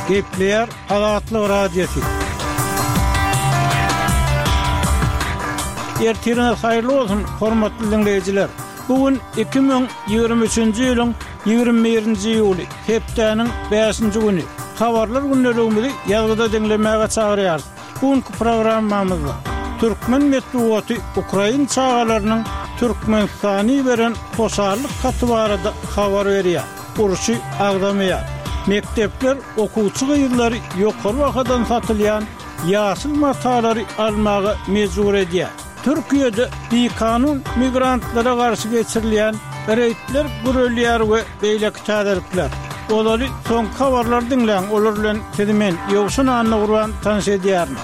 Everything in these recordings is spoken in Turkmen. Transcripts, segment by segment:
Gepleýär Azatlyk Radiosy. Ertiriňiz haýyrly bolsun, hormatly diňleýjiler! Bu gün 2023-nji ýylyň 21-nji iýuly, hepdäniň bäşinji güni. Habarlar gündeligimizi ýazgyda diňlemäge çagyrýarys. Bu günki programmamyzda türkmen metbugaty ukrain çagalarynyň Türkmenistana iberen hoşallyk haty barada habar berýär, urşy agzamaýar. Mekdepler okuwçy gyzlary ýokary bahadan satylýan ýaşyl matalary almaga mejbur edýär. Türkiýede bikanun migrantlara garşy geçirilýän reýdler gürelýär we beýleki täzelikler. Ozaly soňky habarlary diňläň, olar bilen sizi men, Ýowşan Annagurban tanyş edýärin.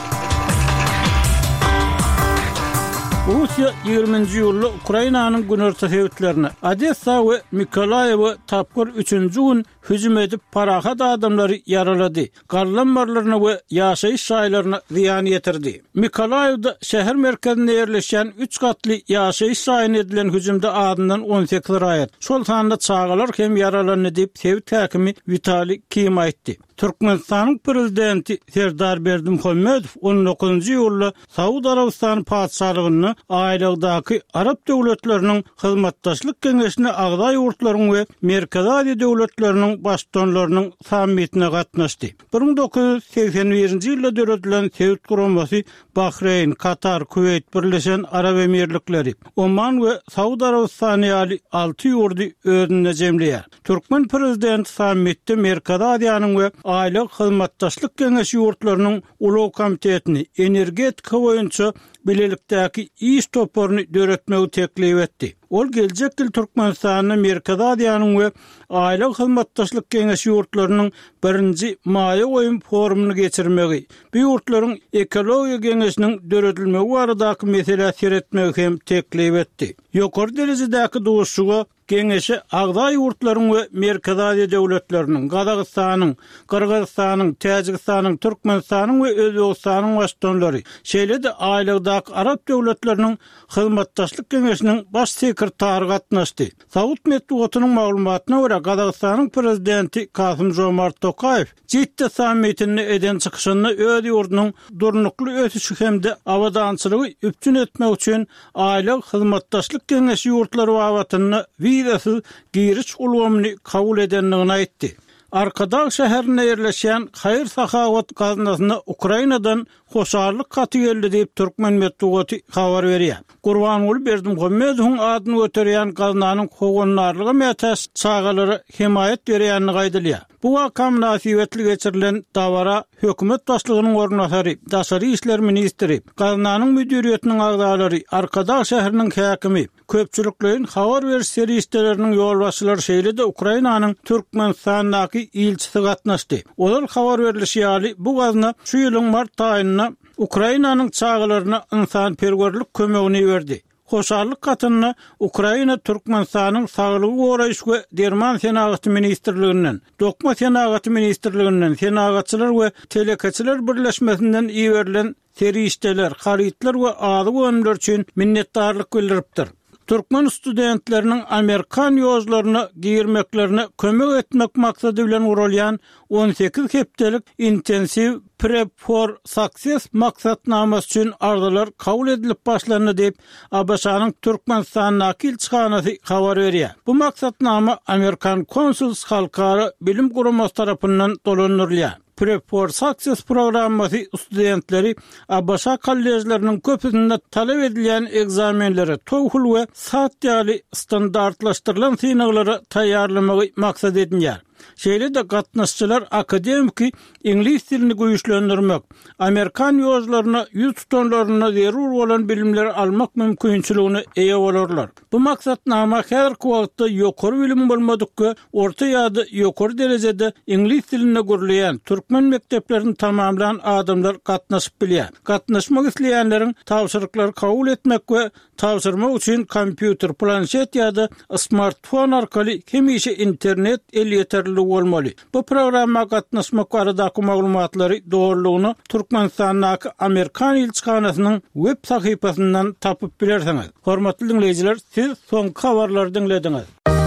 Russiýa ýigriminji iýulda Ukrainanyň günorta sebitlerine, Odessa we Mykolaýewe tapgyr üçünji gün hüjüm edip, parahat adamlary ýaralady, galla ammarlaryna we ýaşaýyş jaýlaryna zyýan ýetirdi. Mykolaýewde şäher merkezinde ýerleşýän üç gatly ýaşaýyş jaýyna edilen hüjümde azyndan 18 raýat, şol sanda çagalar hem ýaralandy diýip, sebit häkimi Witaliý Kim aýtdy. Türkmenistanyň Prezidenti Serdar Berdimuhamedow on dokuzynjy iýulda Saud Arabystany Patyşalygynda Aýlagdaky Arap döwletleriniň Hyzmatdaşlyk Geňeşine agza ýurtlaryň we Merkezi Aziýa döwletleriniň Baştutanlarynyň sammitine gatnaşdy. 1981-nji ýylda döredilen sebit guramasy Bahreýn, Katar, Kuweýt, Birleşen Arap Emirlikleri, Oman we Saud Arabystany ýaly alty ýurdy özünde jemleýär. Türkmen prezidenti sammitde Merkezi Aziýanyň we Aýlag Hyzmatdaşlyk Geňeşi ýurtlarynyň Ulag komitetini, energetika boýunça bilelikdäki iş toparyny döretmegi teklip etdi. Ol geljek ýyl Türkmenistanda Merkezi Aziýanyň we Aýlag Hyzmatdaşlyk Geňeşi ýurtlarynyň birinji maýa goýum forumyny geçirmegi, bu ýurtlaryň Ekologiýa geňeşiniň döredilmegi baradaky meselä seretmegi hem teklip etdi. Ýokary derejedäki duşuşyga Geňeşe agza ýurtlaryň we Merkezi Aziýa döwletleriniň, Gazagystanyň, Gyrgyzystanyň, Täjigistanyň, Türkmenistanyň we Özbegistanyň Baştutanlary, şeýle-de Aýlagdaky Arap döwletleriniň Hyzmatdaşlyk Geňeşiniň Baş sekretary gatnaşdy. Saud metbugatynyň maglumatyna görä, Gazagystanyň Prezidenti Kasym-Žomart Tokaýew Jidda sammitinde eden çykyşynda öz ýurdunyň durnukly ösüşi hem-de abadançylygy üpjün etmek üçin Aýlag Hyzmatdaşlyk Geňeşi ýurtlary babatynda wizasyz giriş ulgamyny kabul edendigini aýtdy. Arkadag şäherinde ýerleşýän haýyr-sahawat gaznasyna Ukrainadan hoşallyk haty geldi diýip, türkmen metbugaty habar berýär. Gurbanguly Berdimuhamedowyň adyny göterýän gaznanyň howandarlyga mätäç çagalara hemaýat berýändigi aýdylýar. Bu waka mynasybetli geçirilen dabara hökümet başlygynyň orunbasary, daşary işler ministri, gaznanyň müdiriýetiniň agzalary, Arkadag şäheriniň häkimi, köpçülikleýin habar beriş serişdeleriniň ýolbaşçylary şeýle-de Ukrainanyň Türkmenistandaky ilçisi gatnaşdy. Ozal habar berlişi ýaly, bu gazna şu ýylyň mart aýynda Ukrainanyň çagalaryna ynsanperwerlik kömegini iberdi. Hoşallyk hatynda Ukraina Türkmenistanyň Saglygy goraýyş we derman senagaty ministrliginden, Dokma senagaty ministrliginden, Senagatçylar we telekeçiler birleşmesinden iberilen serişdeler, harytlar we azyk önümleri üçin minnetdarlyk bildiripdir. Türkmen studentleriniň amerikan ýožlaryna girmeklerine kömek etmek maksady bilen guralýan 18 hepdelik intensiw Prep for Success maksatnamasy üçin arzalar kabul edilip başlandy diýip, ABŞ-nyň Türkmenistandaky ilçihanasy habar berýär. Bu maksatnama Amerikan Consuls halkara bilim guramasy tarapyndan dolandyrylýar. Prep for Success programmasy studentleri ABŞ kolležleriniň köpüsinde talap edilýän ekzamenlere, TOEFL we SAT ýaly standartlaşdyrylan synaglara taýýarlamagy maksat edinýär. Şeýle-de gatnaşyjylar akademiki iňlis dilini güýçlendirmek, amerikan ýožlaryna ýüz tutanlarynda zerur bolan bilimleri almak mümkinçiligine eýe bolarlar. Bu maksatnama häzirki wagtda ýokary bilimi bolmadyk we orta ýa-da ýokary derejede iňlis dilinde gürleýän, türkmen mekdeplerini tamamlan adamlar gatnaşyp bilýär. Gatnaşmak isleýänleriň tabşyryklary kabul etmek we tabşyrmak üçin kompýuter, planşet ýa-da smartfon arkaly hemişe internet elýeterliligi bolmaly. Bu programma gatnaşmak baradaky maglumatlary dolulygyna Türkmenistandaky Amerikan ilçihanasynyň web sahypasyndan tapyp bilersiňiz. Hormatly diňleýjiler, siz soňky habarlary diňlediňiz.